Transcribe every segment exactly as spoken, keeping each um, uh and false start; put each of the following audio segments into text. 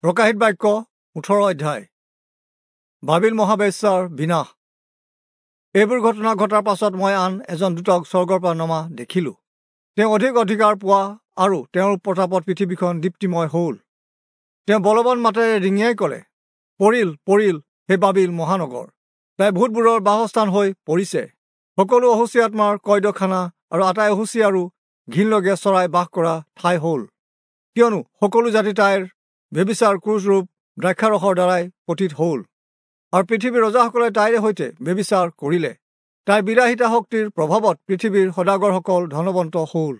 প্ৰকাশিত বাক্য ওঠৰ অধ্যায়। বাবিল মহাবেশ্যাৰ বিনাশ। এইবোৰ ঘটনা ঘটাৰ পাছত মই আন এজন দূতক স্বৰ্গৰ পৰা নমা দেখিলোঁ। তেওঁ অধিক অধিকাৰ পোৱা আৰু তেওঁৰ প্ৰতাপত পৃথিৱীখন দীপ্তিময় হ'ল। তেওঁ বলৱান মাতেৰে ৰিঙিয়াই ক'লে, পৰিল পৰিল সেই বাবিল মহানগৰ, তাই ভূতবোৰৰ বাসস্থান হৈ পৰিছে। সকলো অশুচি আত্মাৰ কয়দখানা আৰু আটাই অশুচি আৰু ঘিণলগীয়া চৰাই বাস কৰা ঠাই হ'ল। কিয়নো সকলো জাতি তাইৰ ব্যভিচাৰ ক্ৰুচৰূপ দ্ৰাক্ষাৰসৰ দ্বাৰাই পতিত হ'ল, আৰু পৃথিৱীৰ ৰজাসকলে তাইৰে সৈতে ব্যভিচাৰ কৰিলে। তাইৰ বিলাসিতা শক্তিৰ প্ৰভাৱত পৃথিৱীৰ সদাগৰসকল ধনৱন্ত হ'ল।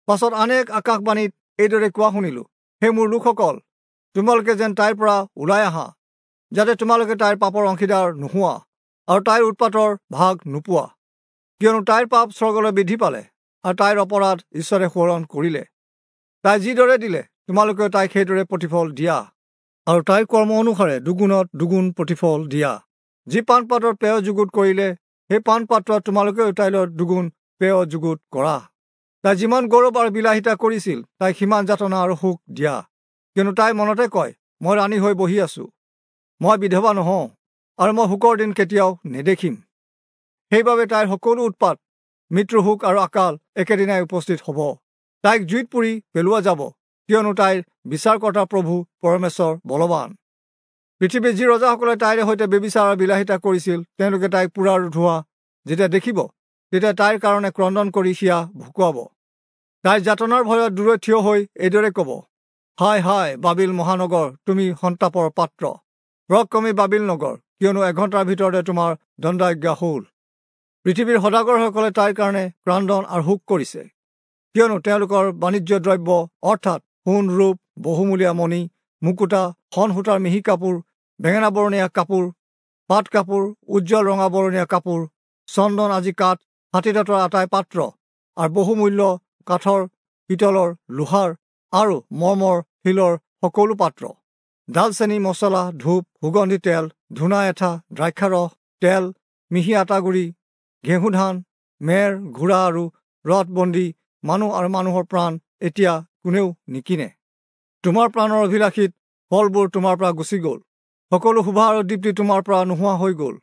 পাছত আন এক আকাশবাণীত এইদৰে কোৱা শুনিলোঁ, হে মোৰ লোকসকল, তোমালোকে যেন তাইৰ পৰা ওলাই আহা, যাতে তোমালোকে তাইৰ পাপৰ অংশীদাৰ নোহোৱা আৰু তাইৰ উৎপাতৰ ভাগ নোপোৱা। কিয়নো তাইৰ পাপ স্বৰ্গলৈ বৃদ্ধি পালে আৰু তাইৰ অপৰাধ ঈশ্বৰে সোঁৱৰণ কৰিলে। তাই যিদৰে দিলে, তোমালোকেও তাইক সেইদৰে প্ৰতিফল দিয়া, আৰু তাইৰ কৰ্ম অনুসাৰে দুগুণত দুগুণ প্ৰতিফল দিয়া। যি পানপাত্ৰত পেয় যুগুত কৰিলে, সেই পানপাত্ৰত তোমালোকেও তাইলৈ দুগুণ পেয় যুগুত কৰা। তাই যিমান গৌৰৱ আৰু বিলাসিতা কৰিছিল, তাইক সিমান যাতনা আৰু শোক দিয়া। কিয়নো তাই মনতে কয়, মই ৰাণী হৈ বহি আছো, মই বিধৱা নহওঁ, আৰু মই শোকৰ দিন কেতিয়াও নেদেখিম। সেইবাবে তাইৰ সকলো উৎপাত, মৃত্যু, শোক আৰু আকাল একেদিনাই উপস্থিত হ'ব। তাইক জুইত পুৰি পেলোৱা যাব, কিয়নো তাইৰ বিচাৰকৰ্তা প্ৰভু পৰমেশ্বৰ বলৱান। পৃথিৱীৰ যি ৰজাসকলে তাইৰে সৈতে ব্যভিচাৰ আৰু বিলাসিতা কৰিছিল, তেওঁলোকে তাইক পোৰাৰ ধোঁৱা যেতিয়া দেখিব, তেতিয়া তাইৰ কাৰণে ক্ৰদন কৰি হিয়া ভুকুৱাব। তাইৰ যাতনাৰ ভয়ত দূৰৈত থিয় হৈ এইদৰে ক'ব, হায় হায় বাবিল মহানগৰ, তুমি সন্তাপৰ পাত্ৰ, পৰাক্ৰমী বাবিল নগৰ, কিয়নো এঘণ্টাৰ ভিতৰতে তোমাৰ দণ্ডাজ্ঞা হ'ল। পৃথিৱীৰ সদাগৰসকলে তাইৰ কাৰণে ক্ৰন্দন আৰু শোক কৰিছে, কিয়নো তেওঁলোকৰ বাণিজ্য দ্ৰব্য অৰ্থাৎ সোণ, ৰূপ, বহুমূলীয়া মণি, মুকুতা, শন সূতাৰ মিহি কাপোৰ, বেঙেনা বৰণীয়া কাপোৰ, পাট কাপোৰ, উজ্জ্বল ৰঙা বৰণীয়া কাপোৰ, চন্দন আদি কাঠ, হাতীদাঁতৰ আটাই পাত্ৰ আৰু বহুমূল্য কাঠৰ, পিতলৰ, লোহাৰ আৰু মৰ্মৰ শিলৰ সকলো পাত্ৰ, ডালচেনি, মছলা, ধূপ, সুগন্ধি তেল, ধূনা এঠা, দ্ৰাক্ষাৰস, তেল, মিহি আটাগুড়ি, ঘেঁহু ধান, মেৰ, ঘোঁৰা আৰু ৰথ, বন্দী মানুহ আৰু মানুহৰ প্ৰাণ এতিয়া কোনেও নিকিনে। তোমাৰ প্ৰাণৰ অভিলাষিত ফলবোৰ তোমাৰ পৰা গুচি গ'ল। সকলো শোভা আৰু দীপ্তি তোমাৰ পৰা নোহোৱা হৈ গ'ল।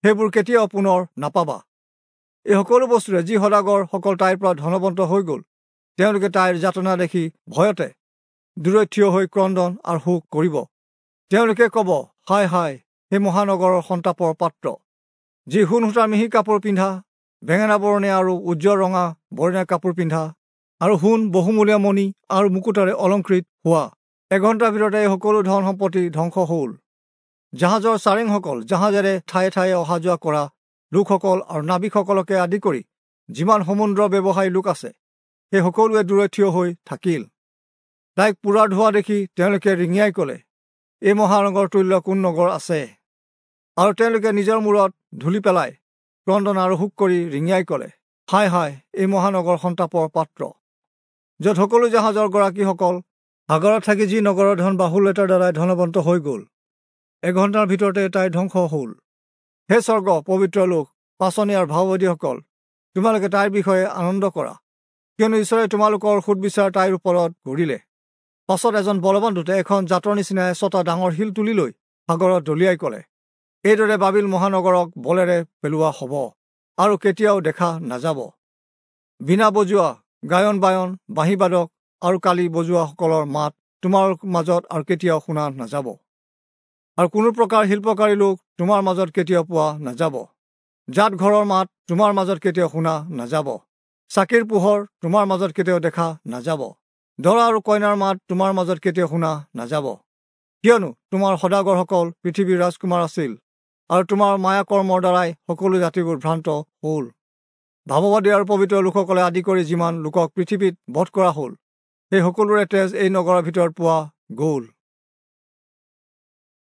সেইবোৰ কেতিয়াও পুনৰ নাপাবা। এই সকলো বস্তুৰে যি সদাগৰসকল তাইৰ পৰা ধনৱন্ত হৈ গ'ল, তেওঁলোকে তাইৰ যাতনা দেখি ভয়তে দূৰৈত থিয় হৈ ক্ৰন্দন আৰু শোক কৰিব। তেওঁলোকে ক'ব, হায় হায় সেই মহানগৰৰ সন্তাপৰ পাত্ৰ, যি সোণ সূতাৰ মিহি কাপোৰ পিন্ধা, বেঙেনা বৰণীয়া আৰু উজ্জ্বল ৰঙা বৰণীয়া কাপোৰ পিন্ধা আৰু সোণ, বহুমূলীয়া মণি আৰু মুকুতাৰে অলংকৃত হোৱা, এঘণ্টাৰ ভিতৰতে এই সকলো ধন সম্পত্তি ধ্বংস হ'ল। জাহাজৰ চাৰেংসকল, জাহাজেৰে ঠায়ে ঠায়ে অহা যোৱা কৰা লোকসকল আৰু নাবিকসকলকে আদি কৰি যিমান সমুদ্ৰ ব্যৱসায়ী লোক আছে, সেই সকলোৱে দূৰৈত থিয় হৈ থাকিল। তাইক পোৰাৰ ধোঁৱা দেখি তেওঁলোকে ৰিঙিয়াই ক'লে, এই মহানগৰ তুল্য কোন নগৰ আছে? আৰু তেওঁলোকে নিজৰ মূৰত ধূলি পেলাই ক্ৰন্দন আৰু শোক কৰি ৰিঙিয়াই ক'লে, হায় হায় এই মহানগৰ সন্তাপৰ পাত্ৰ, য'ত সকলো জাহাজৰ গৰাকীসকল সাগৰত থাকি যি নগৰৰ ধন বাহুল্যতাৰ দ্বাৰাই ধনৱন্ত হৈ গ'ল, এঘণ্টাৰ ভিতৰতে তাইৰ ধ্বংস হ'ল। হে স্বৰ্গ, পবিত্ৰ লোক, পাঁচনি আৰু ভাৱবাদীসকল, তোমালোকে তাইৰ বিষয়ে আনন্দ কৰা, কিয়নো ঈশ্বৰে তোমালোকৰ সোধবিচাৰ তাইৰ ওপৰত কৰিলে। পাছত এজন বলৱান দূতে এখন জাতৰ নিচিনা ছটা ডাঙৰ শিল তুলি লৈ সাগৰত দলিয়াই ক'লে, এইদৰে বাবিল মহানগৰক বলেৰে পেলোৱা হ'ব আৰু কেতিয়াও দেখা নাযাব। বীণা বজোৱা, গায়ন বায়ন, বাঁহীবাদক আৰু কালি বজোৱাসকলৰ মাত তোমাৰ মাজত আৰু কেতিয়াও শুনা নাযাব, আৰু কোনো প্ৰকাৰ শিল্পকাৰী লোক তোমাৰ মাজত কেতিয়াও পোৱা নাযাব। জাত ঘৰৰ মাত তোমাৰ মাজত কেতিয়াও শুনা নাযাব, চাকিৰ পোহৰ তোমাৰ মাজত কেতিয়াও দেখা নাযাব, দৰা আৰু কইনাৰ মাত তোমাৰ মাজত কেতিয়াও শুনা নাযাব। কিয়নো তোমাৰ সদাগৰসকল পৃথিৱীৰ ৰাজকুমাৰ আছিল, আৰু তোমাৰ মায়াকৰ্মৰ দ্বাৰাই সকলো জাতিবোৰ ভ্ৰান্ত হ'ল। ভাৱবাদী আৰু পবিত্ৰ লোকসকলে আদি কৰি যিমান লোকক পৃথিৱীত বধ কৰা হ'ল, সেই সকলোৰে তেজ এই নগৰৰ ভিতৰত পোৱা গ'ল।